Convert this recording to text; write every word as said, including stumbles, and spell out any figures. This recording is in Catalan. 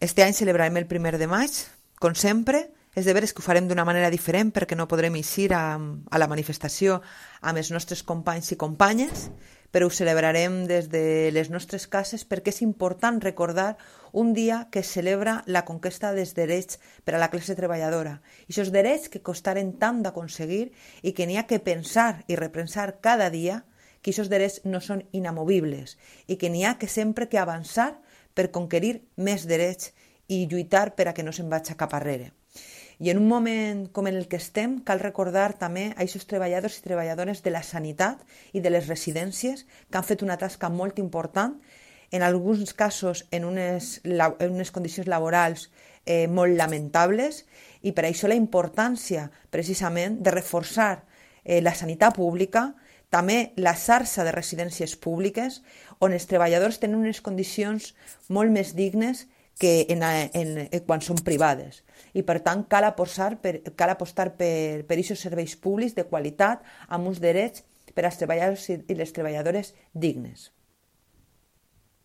Este any celebrarem el primer de maig, com sempre. És de veres que ho farem d'una manera diferent perquè no podrem eixir a, a la manifestació amb els nostres companys i companyes, però ho celebrarem des de les nostres cases perquè és important recordar un dia que es celebra la conquesta dels drets per a la classe treballadora. I aquests drets que costaren tant d'aconseguir i que n'hi ha que pensar i repensar cada dia que aquests drets no són inamovibles i que n'hi ha que sempre que avançar per conquerir més drets i lluitar per a que no se'n vagi cap arrere. I en un moment com en el que estem, cal recordar també a aquests treballadors i treballadores de la sanitat i de les residències que han fet una tasca molt important, en alguns casos en unes, en unes condicions laborals eh, molt lamentables, i per això la importància precisament de reforçar eh, la sanitat pública, també la xarxa de residències públiques, on els treballadors tenen unes condicions molt més dignes que en, en, en, quan són privades. I per tant cal apostar per, cal apostar per, per aquests serveis públics de qualitat amb uns drets per als treballadors i les treballadores dignes.